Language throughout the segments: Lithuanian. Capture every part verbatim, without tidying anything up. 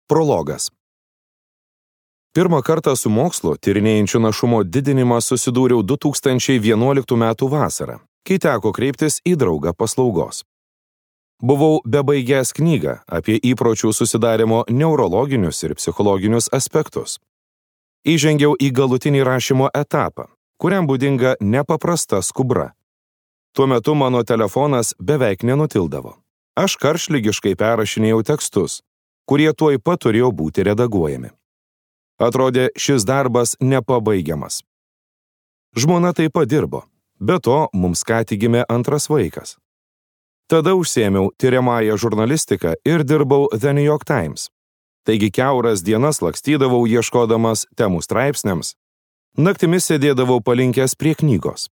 Prologas. Pirmą kartą su mokslu tyrinėjančiu našumo didinimą susidūriau du tūkstančiai vienuoliktų metų vasarą, kai teko kreiptis į draugą paslaugos. Buvau bebaigęs knygą apie įpročių susidarimo neurologinius ir psichologinius aspektus. Įžengiau į galutinį rašymo etapą, kuriam būdinga nepaprasta skubra. Tuo metu mano telefonas beveik nenutildavo. Aš karštligiškai perrašinėjau tekstus, kurie tuoj pat turėjo būti redaguojami. Atrodė, šis darbas nepabaigiamas. Žmona taip pat dirbo, be to mums ką tik gimė antras vaikas. Tada užsiėmiau tiriamąją žurnalistiką ir dirbau The New York Times. Taigi kiauras dienas lakstydavau ieškodamas temų straipsniams, naktimis sėdėdavau palinkęs prie knygos.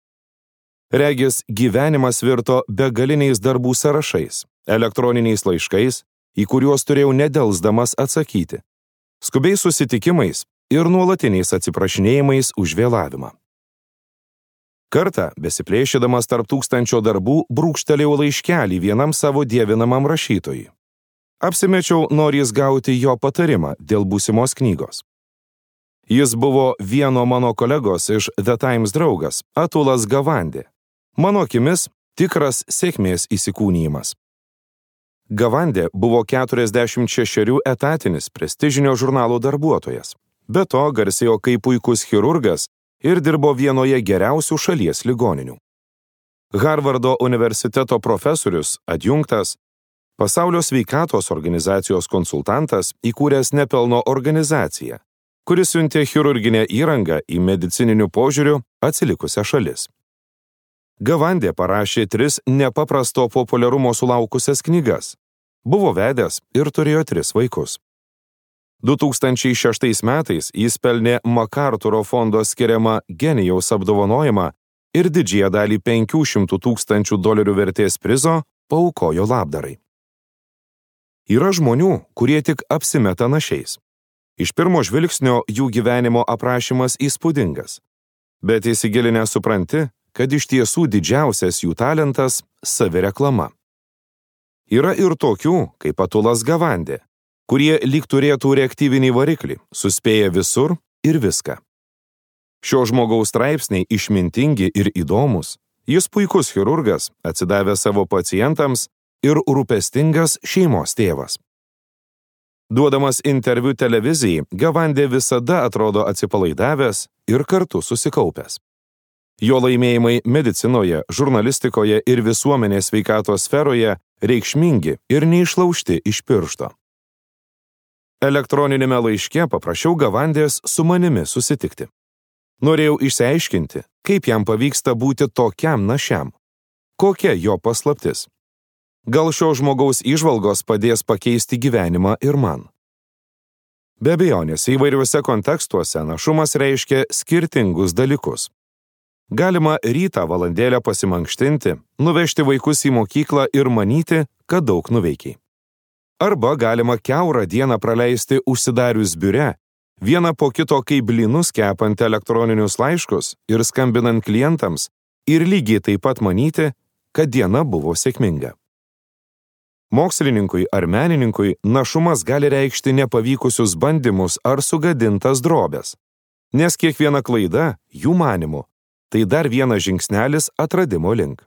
Regis, gyvenimas virto begaliniais darbų sąrašais, elektroniniais laiškais, į kuriuos turėjau nedelsdamas atsakyti, skubiais susitikimais ir nuolatiniais atsiprašinėjimais už vėlavimą. Kartą, besiplėšydamas tarp tūkstančio darbų, brūkštelėjau laiškelį vienam savo dievinamam rašytojui. Apsimečiau norės gauti jo patarimą dėl būsimos knygos. Jis buvo vieno mano kolegos iš The Times draugas, Atulas Gavandi. Mano akimis tikras sėkmės įsikūnijimas. Gavandi buvo keturiasdešimt šešerių etatinis prestižinio žurnalo darbuotojas. Be to garsėjo kaip puikus chirurgas ir dirbo vienoje geriausių šalies ligoninių. Harvardo universiteto profesorius, adjunktas, Pasaulio sveikatos organizacijos konsultantas, įkūręs nepelno organizaciją, kuris siuntė chirurginę įrangą į medicininių požiūrių atsilikusią šalis. Gavandi parašė tris nepaprasto populiarumo sulaukusias knygas, buvo vedęs ir turėjo tris vaikus. du tūkstančiai šeštais metais jis pelnė MacArthuro fondo skiriamą genijaus apdovanojimą ir didžiąją dalį penkių šimtų tūkstančių dolerių vertės prizo paaukojo labdarai. Yra žmonių, kurie tik apsimeta našiais. Iš pirmo žvilgsnio jų gyvenimo aprašymas įspūdingas, bet įsigilinę supranti, kad iš tiesų didžiausias jų talentas – savireklama. Yra ir tokių, kaip Atulas Gavandi, kurie lyg turėtų reaktyvinį variklį, suspėja visur ir viską. Šio žmogaus straipsniai išmintingi ir įdomus, jis puikus chirurgas, atsidavęs savo pacientams ir rūpestingas šeimos tėvas. Duodamas interviu televizijai, Gavandi visada atrodo atsipalaidavęs ir kartu susikaupęs. Jo laimėjimai medicinoje, žurnalistikoje ir visuomenės sveikatos sferoje reikšmingi ir neišlaužti iš piršto. Elektroninėme laiške paprašiau Gavandės su manimi susitikti. Norėjau išsiaiškinti, kaip jam pavyksta būti tokiam našiam. Kokia jo paslaptis? Gal šio žmogaus įžvalgos padės pakeisti gyvenimą ir man. Be abejonės, įvairiuose kontekstuose našumas reiškia skirtingus dalykus. Galima rytą valandėlę pasimankštinti, nuvežti vaikus į mokyklą ir manyti, kad daug nuveikiai. Arba galima kiaurą dieną praleisti užsidarius biure, vieną po kito kaip blynus kepant elektroninius laiškus ir skambinant klientams ir lygiai taip pat manyti, kad diena buvo sėkminga. Mokslininkui ar menininkui našumas gali reikšti nepavykusius bandymus ar sugadintas drobes, nes kiekviena klaida, jų manymu, tai dar vienas žingsnelis atradimo link.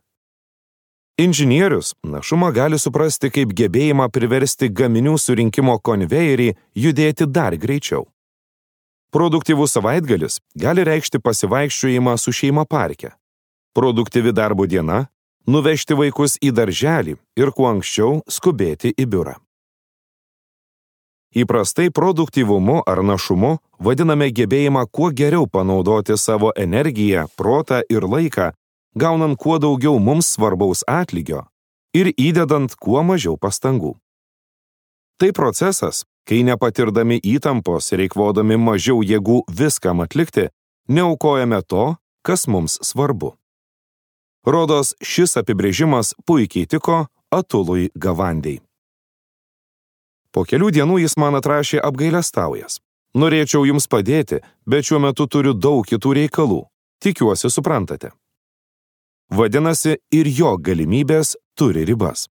Inžinierius našumą gali suprasti kaip gebėjimą priversti gaminių surinkimo konvejerį judėti dar greičiau. Produktyvus savaitgalis gali reikšti pasivaikščiojimą su šeima parke. Produktyvi darbo diena – nuvežti vaikus į darželį ir kuo anksčiau skubėti į biurą. Įprastai produktyvumu ar našumu vadiname gebėjimą kuo geriau panaudoti savo energiją, protą ir laiką, gaunant kuo daugiau mums svarbaus atlygio ir įdedant kuo mažiau pastangų. Tai procesas, kai nepatirdami įtampos ir eikvodami mažiau jėgų viskam atlikti, neaukojame to, kas mums svarbu. Rodos, šis apibrėžimas puikiai tiko Atului Gavandei. Po kelių dienų jis man atrašė apgailestaujas. Norėčiau jums padėti, bet šiuo metu turiu daug kitų reikalų. Tikiuosi suprantate. Vadinasi, ir jo galimybės turi ribas.